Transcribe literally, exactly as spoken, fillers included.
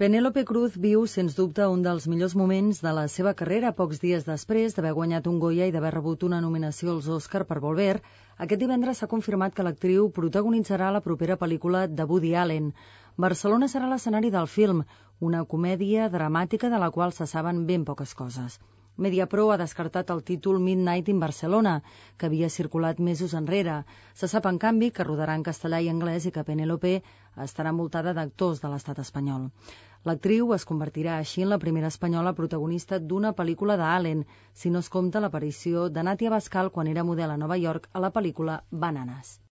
Penélope Cruz viu, sens dubte, un dels millors moments de la seva carrera pocs dies després d'haver guanyat un Goya i d'haver rebut una nominació als Òscar per Volver. Aquest divendres s'ha confirmat que l'actriu protagonitzarà la propera pel·lícula de Woody Allen. Barcelona serà l'escenari del film, una comèdia dramàtica de la qual se saben ben poques coses. Mediapro ha descartat el títol Midnight in Barcelona, que havia circulat mesos enrere. Se sap, en canvi, que rodarà en castellà i anglès i que Penélope estarà envoltada d'actors de l'estat espanyol. L'actriu es convertirà així en la primera espanyola protagonista d'una pel·lícula d'Allen, si no es compta l'aparició de Natia Bascal quan era model a Nova York a la pel·lícula Bananas.